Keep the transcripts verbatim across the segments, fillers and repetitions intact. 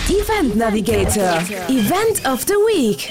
Event Navigator, Event of the Week.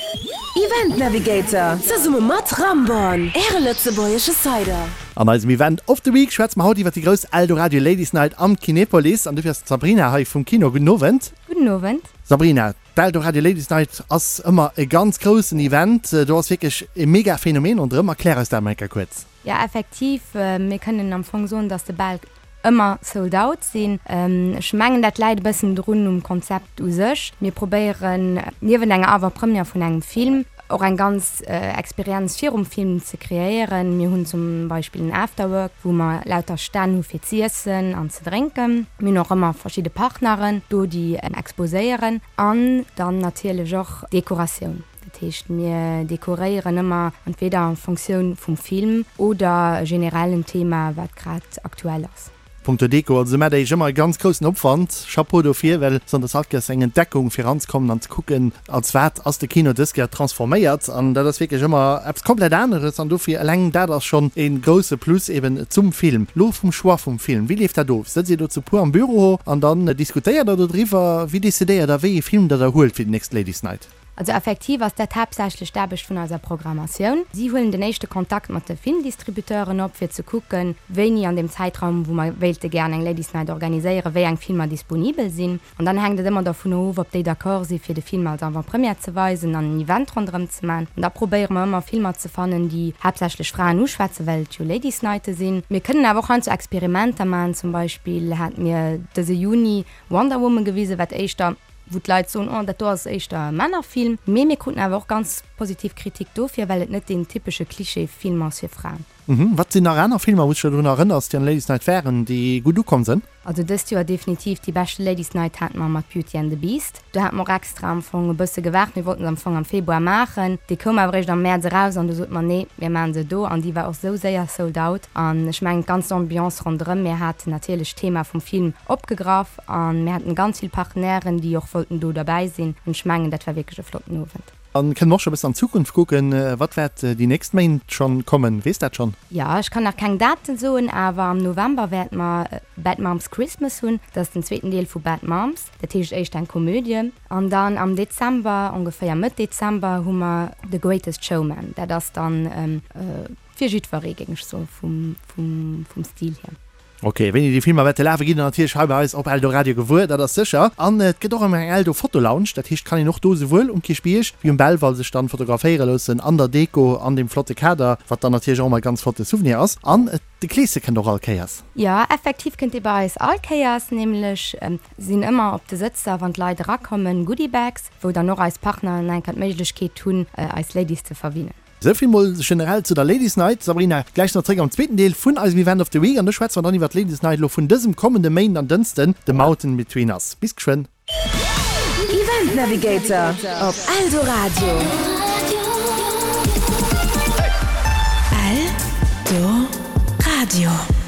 Event Navigator, zesumme mat Ramborn, Äre lëtzebuergesche Cider. An eisem Event of the Week schwätze mer haut iwwer déi grouss Eldoradio Ladies Night am Kinepolis. An dofir ass d'Sabrina hei vum Kino. Gudden Owend. Gudden Owend. Sabrina, d'Eldoradio Ladies Night ass ëmmer e ganz groussen Event. Do ass wierklech e mega Phänomen ronderëm. Erklär eis dat emol eng Kéier kuerz. Jo, effektiv, mir kënnen am Fong soen, dass de Bal ëmmer sold out sinn. Ech mengen, dat läit e bëssen drun um Konzept u sech. Mir probéieren, niewent enger Avant-première vun engem Film, och eng ganz Experienz virum Film ze kreéieren. Mir hunn zum Beispill en Afterwork, wou mer lauter Stänn hu fir z'iessen an ze drénken. Mir hunn och ëmmer verschidde Partneren do, déi exposéieren. An dann natierlech och Dekoratioun. Dat heescht, mir dekoréieren ëmmer entweder en Fonctioun vum Film oder generell en Thema, wat grad aktuell ass. Punkto Deko, also maacht der iech ëmmer e ganz groussen Opwand. Chapeau dofir, well sonndes alt gëss eng Entdeckung fir eranzekommen an ze kucken, als wat ass de Kino dës Kéier transforméiert. An dat ass wierklech ëmmer eppes komplett aneres an dofir eleng dat ass schonn e grousse Plus eben zum Film. Lo vum Choix vum Film, wéi leeft dat of? Sëtzt dir do zu puer am Büro an dann diskutéiert der dodriwwer? Wéi decidéiert der, wéi ee Film der da huelt fir déi nächst Ladies Night? Also effektiv ass dat haaptsächlech d'Aarbecht vun eiser Programmatioun. Si huelen den éischte Kontakt mat de Filmdistributeuren op, fir ze kucken, wéini an deem Zäitraum, wou mer wéilte gären eng Ladies Night organiséieren, wéi eng Filmer disponibel sinn. An dann hänkt et ëmmer dervun of, ob déi d'accord si fir de Film als Avant-première ze weisen an en Event ronderëm ze man. An da probéiere mer ëmmer Filmer ze fannen, déi haaptsächlech Fraen uschwätzen, well et jo Ladies Nighte sinn. Mir kënnen awer och heiansdo Experimenter man. Zum Beispill hate mir dëse Juni Wonder Woman gewisen, wat éischter wou d'Leit soen, oh dat do ass éischter e Männerfilm. Mee mir kruten awer och ganz positiv Kritik dofir, well et net deen typesche Klischee-Film ass fir Fraen. Mhm. Wat sinn nach aner Filmer, wou s de dech drun erënners, déi an der Ladies Night waren, déi gutt ukomm sinn? Also dëst Joer definitiv déi beschte Ladies Night hate mer mat Beauty and the Beast. Do hate mer och extra am Fong e bësse gewaart, mir wollten se am Fong am Februar maachen, déi koum awer eréischt am Mäerz eraus an du sote mer, nee, mir maachen se do an déi war och sou séier sold out. An ech mengen d'ganz Ambiance ronderëm, mir haten natierlech d'Thema vum Film opgegraff an mir haten ganz vill Partenairen, déi och wollten do derbäi sinn an ech mengen dat war wierklech e flotten Owend. An kënne mer och scho bëssen an d'Zukunft kucken, wat wäert déi nächst Méint schonn kommen, weess dat schonn? Jo, ech kann nach keng Daten soen, awer am November wäerte mer Bad Moms Christmas hunn. Dat ass den zweeten Deel vu Bad Moms, dat heescht éischt eng Komödie. An dann am Dezember, ongeféier Mëtt Dezember, hu mer The Greatest Showman. Dat ass dann fir jiddweree, géing ech soen, vum, vum, vum Stil hier. Ok, wéini déi Filmer wäerte lafe gitt der natierlech hei bei eis op Eldoradio gewuer, dat ass sécher. An et gëtt och ëmmer eng Eldo Fotolounge, dat heescht, kann een och do souwuel um Kierchbierg wéi um Belval sech dann fotograféiere loossen an der Deko, an deem flotte Kader, wat dann natierlech och ëmmer e ganz flotte Souvenir ass. An de Kleese kënnt och all Kéiers. Jo, effektiv kënnt dee bei eis all Kéiers, nämlech sinn ëmmer op de Sëtzer, wann d'Leit erakommen, Goodiebags, wou dann och eis Partneren enker d'Méiglechkeet hunn, eis Ladies ze verwinnen. Souvill mol generell zu der Ladies Night. Sabrina, gläich nach zréck am zweeten Deel vun eisem Event of the Week an do schwätze mer dann iwwer d'Ladies Night elo vun dësem kommende Méinden an Dënsten, The Mountain Between Us. Bis geschwënn. Event Navigator op Eldoradio. Eldoradio.